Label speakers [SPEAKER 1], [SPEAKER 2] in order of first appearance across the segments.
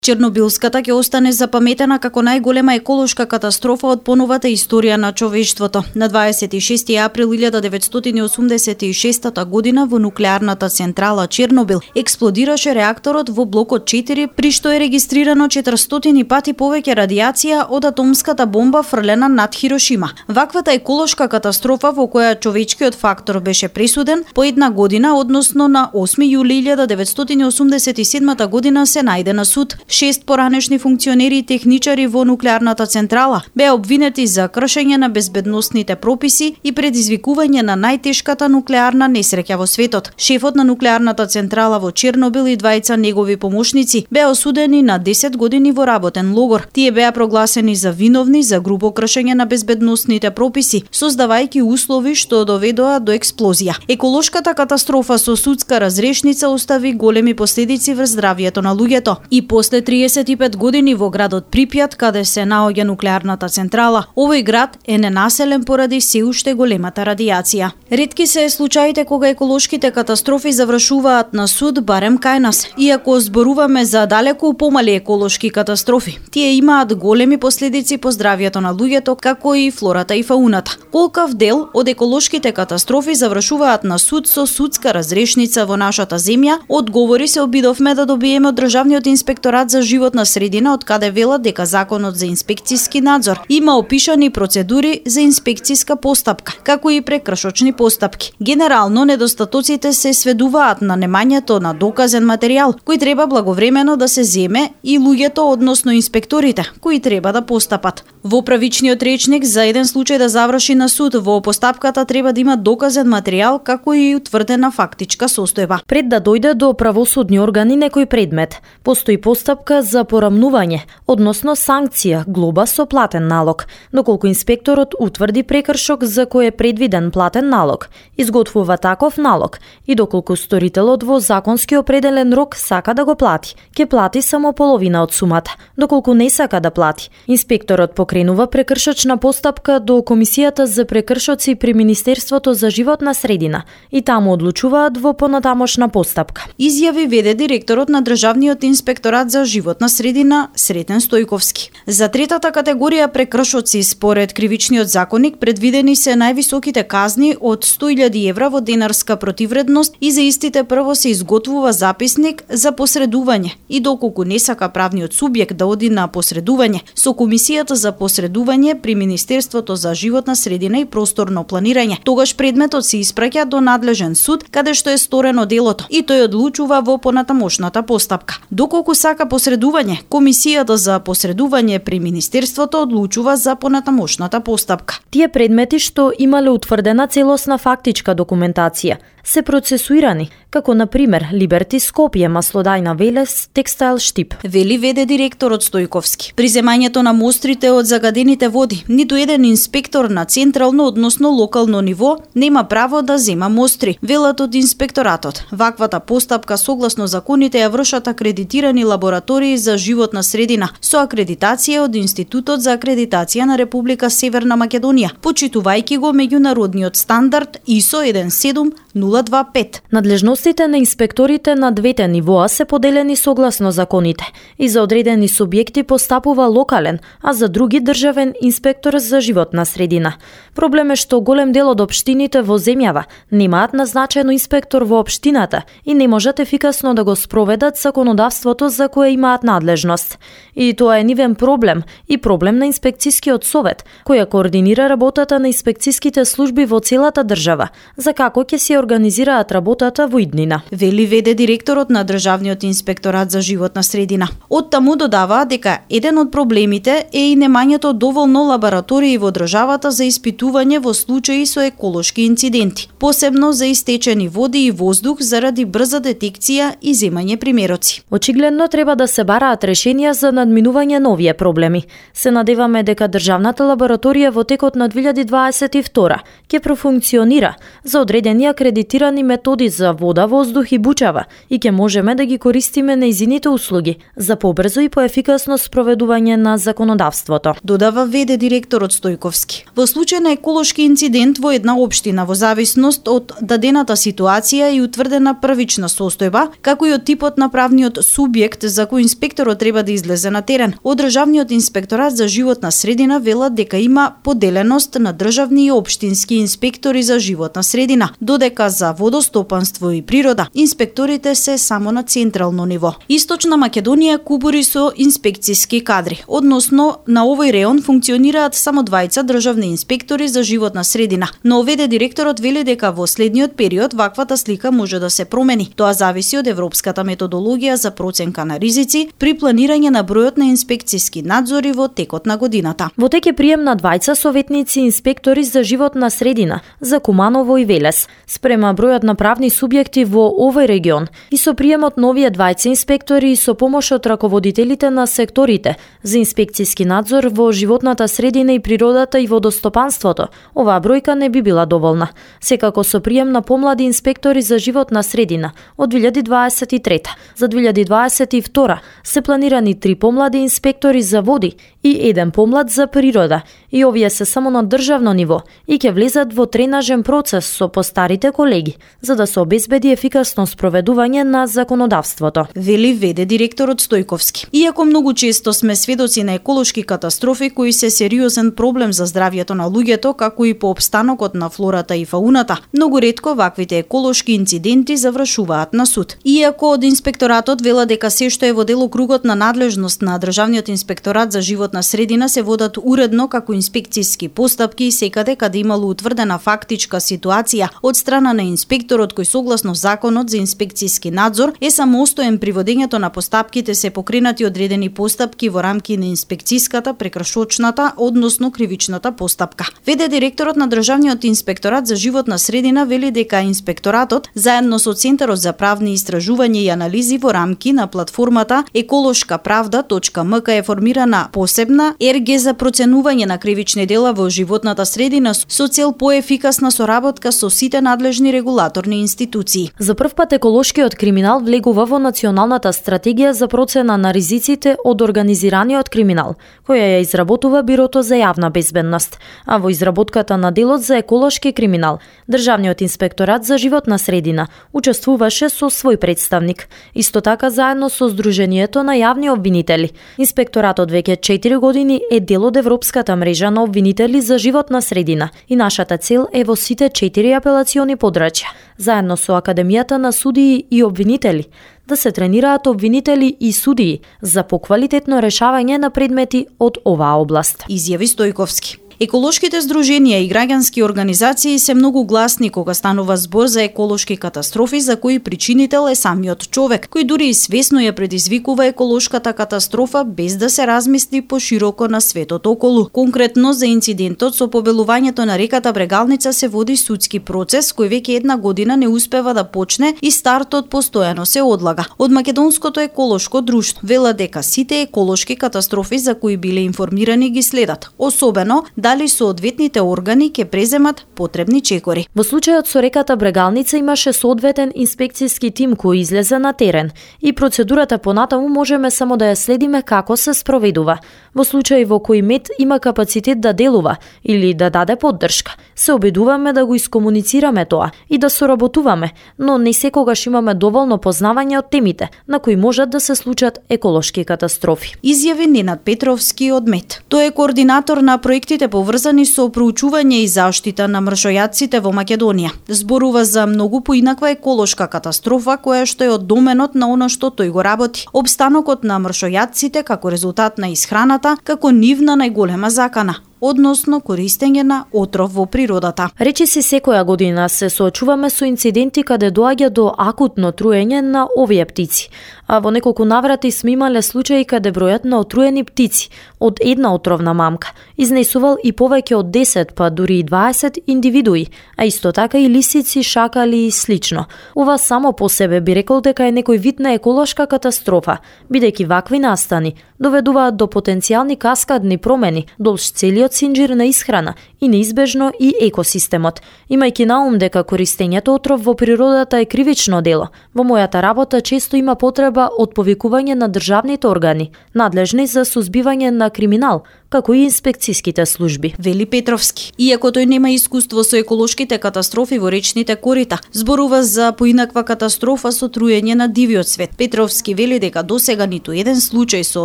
[SPEAKER 1] Чернобилската ќе остане запаметена како најголема еколошка катастрофа од поновата историја на човештвото. На 26 април 1986 година во нуклеарната централа Чернобил експлодираше реакторот во блокот 4, при што е регистрирано 400 пати повеќе радиација од атомската бомба фрлена над Хирошима. Ваквата еколошка катастрофа во која човечкиот фактор беше пресуден по една година, односно на 8 јули 1987 година се најде на суд. 6 поранешни функционери и техничари во нуклеарната централа беа обвинети за кршење на безбедносните прописи и предизвикување на најтешката нуклеарна несреќа во светот. Шефот на нуклеарната централа во Чернобил и двајца негови помошници беа осудени на 10 години во работен логор. Тие беа прогласени за виновни за грубо кршење на безбедносните прописи, создавајќи услови што доведоа до експлозија. Еколошката катастрофа со судска разрешница остави големи последици врз здравјето на луѓето. И после 35 години во градот Припјат, каде се наоѓа нуклеарната централа, овој град е ненаселен поради се уште големата радиација. Ретки се случаите кога еколошките катастрофи завршуваат на суд, барем кај нас. Иако зборуваме за далеку помали еколошки катастрофи, тие имаат големи последици по здравјето на луѓето, како и флората и фауната. Колкав дел од еколошките катастрофи завршуваат на суд со судска разрешница во нашата земја? Одговори се обидовме да добиеме од Државниот инспекторат за животна средина, од каде велат дека законот за инспекцијски надзор има опишани процедури за инспекцијска постапка, како и прекршочни постапки. Генерално недостатоците се сведуваат на немањето на доказен материјал, кој треба благовремено да се земе, и луѓето, односно инспекторите, кои треба да постапат. Во правичниот речник, за еден случај да заврши на суд, во постапката треба да има доказен материјал, како и утврдена фактичка состојба.
[SPEAKER 2] Пред да дојде до правосудни органи некој предмет, постои постапка за порамнување, односно санкција, глоба со платен налог, доколку инспекторот утврди прекршок за кој е предвиден платен налог, изготвува таков налог и доколку сторителот во законски определен рок сака да го плати, ќе плати само половина од сумата. Доколку не сака да плати, инспекторот покренува прекршочна постапка до Комисијата за прекршоци при Министерството за животна средина и таму одлучуваат во понатамошна постапка.
[SPEAKER 1] Изјави веде директорот на Државниот инспекторат за животна средина Сретен Стојковски. За третата категорија прекршоци според кривичниот законник предвидени се највисоките казни од 100.000 евра во денарска противредност и за истите прво се изготвува записник за посредување и доколку не сака правниот субјект да оди на посредување со Комисијата за посредување при Министерството за животна средина и просторно планирање, тогаш предметот се испраќа до надлежен суд каде што е сторено делото и тој одлучува во понатамошната постапка. Доколку сака посредување, Комисијата за посредување при Министерството одлучува за понатамошната постапка.
[SPEAKER 2] Тие предмети што имале утврдена целосна фактичка документација се процесуирани, како на пример Либерти Скопје, Маслодајна Велес, Текстайл Штип.
[SPEAKER 1] Вели веде директорот Стојковски. При земањето на мострите од загадените води, ниту еден инспектор на централно, односно локално ниво нема право да зема мостри, велат од инспекторатот. Ваквата постапка согласно законите ја вршат акредитирани лаборатории за животна средина со акредитација од Институтот за акредитација на Република Северна Македонија, почитувајќи го меѓународниот стандард ISO 17025.
[SPEAKER 2] Надлежностите на инспекторите на двете нивоа се поделени согласно законите и за одредени субјекти постапува локален, а за други државен инспектор за животна средина. Проблем е што голем дел од општините во земјава немаат назначено инспектор во општината и не можат ефикасно да го спроведат законодавството за кое имаат надлежност. И тоа е нивен проблем и проблем на инспекцијскиот совет, која координира работата на инспекцијските служби во целата држава, за како ќе се организираат работата во иднина.
[SPEAKER 1] Вели веде директорот на Државниот инспекторат за животна средина. Од таму додава дека еден од проблемите е и немањето доволно лаборатории во државата за испитување во случаи со еколошки инциденти, посебно за истечени води и воздух заради брза детекција и земање примероци.
[SPEAKER 2] Очигледно треба да се бараат решенија за надминување на овие проблеми. Се надеваме дека државната лабораторија во текот на 2022 ќе профункционира за одредени акредитирани методи за вода, воздух и бучава и ќе можеме да ги користиме нејзините услуги за побрзо и поефикасно спроведување на законодавството.
[SPEAKER 1] Додава веде директорот Стојковски. Во случај на еколошки инцидент во една општина, во зависност од дадената ситуација и утврдена првична состојба, како и од типот на правниот субјект за кој како инспекторот треба да излезе на терен. Од Државниот инспекторат за животна средина велат дека има поделеност на државни и општински инспектори за животна средина, додека за водостопанство и природа инспекторите се само на централно ниво. Источна Македонија кубури со инспекциски кадри, односно на овој реон функционираат само двајца државни инспектори за животна средина, но оведе директорот вели дека во следниот период ваквата слика може да се промени. Тоа зависи од европската методологија за проценка на ризици при планирање на бројот на инспекциски надзори во текот на годината.
[SPEAKER 2] Во тек е прием на двајца советници инспектори за животна средина за Куманово и Велес, спрема бројот на правни субјекти во овој регион и со приемот на овие двајца инспектори и со помош од раководителите на секторите за инспекциски надзор во животната средина и природата и водостопанството, оваа бројка не би била доволна. Секако со прием на помлади инспектори за животна средина од 2023. За 2022 се планирани 3 помлади инспектори за води и 1 помлад за природа, и овие се само на државно ниво и ќе влезат во тренажен процес со постарите колеги, за да се обезбеди ефикасно спроведување на законодавството.
[SPEAKER 1] Вели веде директорот Стојковски. Иако многу често сме сведоци на еколошки катастрофи кои се сериозен проблем за здравјето на луѓето, како и по опстанокот на флората и фауната, многу ретко ваквите еколошки инциденти завршуваат на суд. Иако од инспекторатот вела дека се што е во делокругот на надлежност на Државниот инспекторат за животна средина се водат уредно како инспекциски постапки и секаде каде имало утврдена фактичка ситуација од страна на инспекторот кој согласно законот за инспекциски надзор е самостоен при водењето на постапките се покренати одредени постапки во рамки на инспекциската, прекрашочната, односно кривичната постапка. Веде директорот на Државниот инспекторат за животна средина вели дека инспекторатот заедно со Центарот за правни истражувања и анализи во рамки на платформата еколошкаправда.мк е формирана посебна ЕРГ за проценување на кривични дела во животната средина со цел поефикасна соработка со сите надлежни регулаторни институции.
[SPEAKER 2] За прв пат еколошкиот криминал влегува во Националната стратегија за процена на ризиците од организираниот криминал, која ја изработува Бирото за јавна безбедност, а во изработката на делот за еколошки криминал, Државниот инспекторат за животна средина учествуваше со свој представник, исто така заедно со Сдруженијето на јавни обвинители. Инспекторатот веќе 4 години е дел од Европската мрежа на обвинители за животна средина и нашата цел е во сите 4 апелациони подрачја, заедно со Академијата на судии и обвинители, да се тренираат обвинители и судии за поквалитетно решавање на предмети од оваа област.
[SPEAKER 1] Изјави Стојковски. Еколошките здруженија и граѓански организации се многу гласни кога станува збор за еколошки катастрофи за кои причинител е самиот човек, кој дури и свесно ја предизвикува еколошката катастрофа без да се размисли пошироко на светот околу. Конкретно за инцидентот со побелувањето на реката Брегалница се води судски процес кој веќе 1 година не успева да почне и стартот постојано се одлага. Од Македонското еколошко друштво вела дека сите еколошки катастрофи за кои биле информирани ги следат, особено дали соодветните органи ќе преземат потребни чекори.
[SPEAKER 2] Во случајот со реката Брегалница имаше соодветен инспекциски тим кој излезе на терен и процедурата понатаму можеме само да ја следиме како се спроведува. Во случај во кој МЕТ има капацитет да делува или да даде поддршка, се обидуваме да го искомуницираме тоа и да соработуваме, но не секогаш имаме доволно познавање од темите на кои можат да се случат еколошки катастрофи.
[SPEAKER 1] Изјави Ненад Петровски од МЕТ. Тој е координатор на проектите поврзани со проучување и заштита на мршојадците во Македонија. Зборува за многу поинаква еколошка катастрофа која што е од доменот на она што тој го работи. Обстанокот на мршојадците како резултат на исхраната како нивна најголема закана, односно користење на отров во природата.
[SPEAKER 2] Речиси секоја година се соочуваме со инциденти каде доаѓа до акутно труење на овие птици, а во неколку наврати сме имале случаи каде бројот на отруени птици од една отровна мамка изнесувал и повеќе од 10 па дури и 20 индивидуи, а исто така и лисици, шакали и слично. Ова само по себе би рекол дека е некој вид на еколошка катастрофа, бидејќи вакви настани доведуваат до потенцијални каскадни промени долж целиот синџир на исхрана и неизбежно и екосистемот. Имајќи на ум дека користењето отров во природата е кривично дело, во мојата работа често има потреба од повикување на државните органи, надлежни за сузбивање на криминал, како и инспекцијските служби.
[SPEAKER 1] Вели Петровски. Иако тој нема искуство со еколошките катастрофи во речните корита, зборува за поинаква катастрофа со труење на дивиот свет. Петровски вели дека досега ниту еден случај со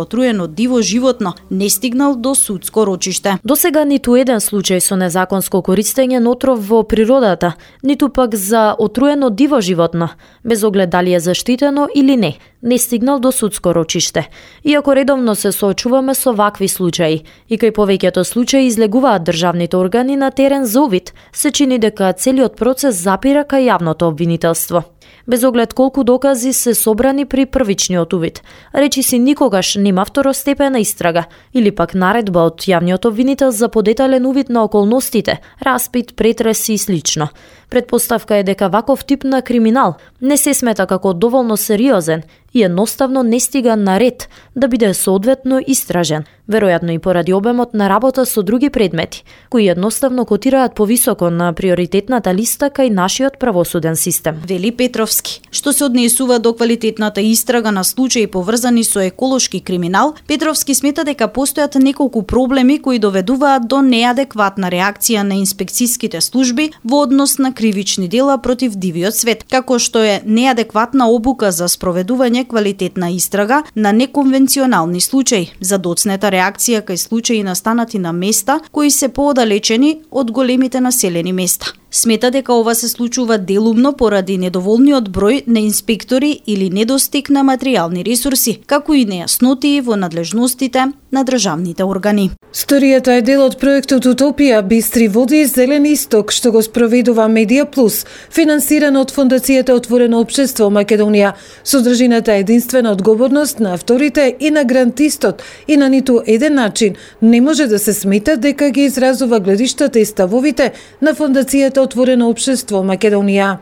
[SPEAKER 1] отруено диво животно не стигнал до судско рочиште.
[SPEAKER 2] Досега ниту еден случај со незаконско користење на отров во природата, ниту пак за отруено диво животно, без оглед дали е заштитено или не стигнал до судско рочиште. Иако редовно се соочуваме со вакви случаи, и кај повеќето случаи излегуваат државните органи на терен за увид, се чини дека целиот процес запира кај јавното обвинителство. Без оглед колку докази се собрани при првичниот увид, речиси никогаш нема второстепена истрага или пак наредба од јавниот обвинител за подетален увид на околностите, распит, претреси и слично. Предпоставка е дека ваков тип на криминал не се смета како доволно сериозен и едноставно не стига на ред да биде соодветно истражен, веројатно и поради обемот на работа со други предмети, кои едноставно котираат повисоко на приоритетната листа кај нашиот правосуден систем.
[SPEAKER 1] Вели Петровски. Што се однесува до квалитетната истрага на случаи поврзани со еколошки криминал, Петровски смета дека постојат неколку проблеми кои доведуваат до неадекватна реакција на инспекцијските служби во однос на кривични дела против дивиот свет, како што е неадекватна обука за спроведување квалитетна истрага на неконвенционални случаи, за доцнета реакција кај случаи настанати на места кои се поодалечени од големите населени места. Смета дека ова се случува делумно поради недоволниот број на инспектори или недостиг на материјални ресурси, како и нејасноти во надлежностите на државните органи.
[SPEAKER 3] Сторијата е дел од проектот Утопија, бистри води и зелен исток, што го спроведува Медија Плюс, финансиран од Фондацијата Отворено општество Македонија. Содржината е единствена одговорност на авторите и на грантистот и на ниту еден начин не може да се смета дека ги изразува гледиштата и ставовите на Фондацијата Отворено општество Македонија.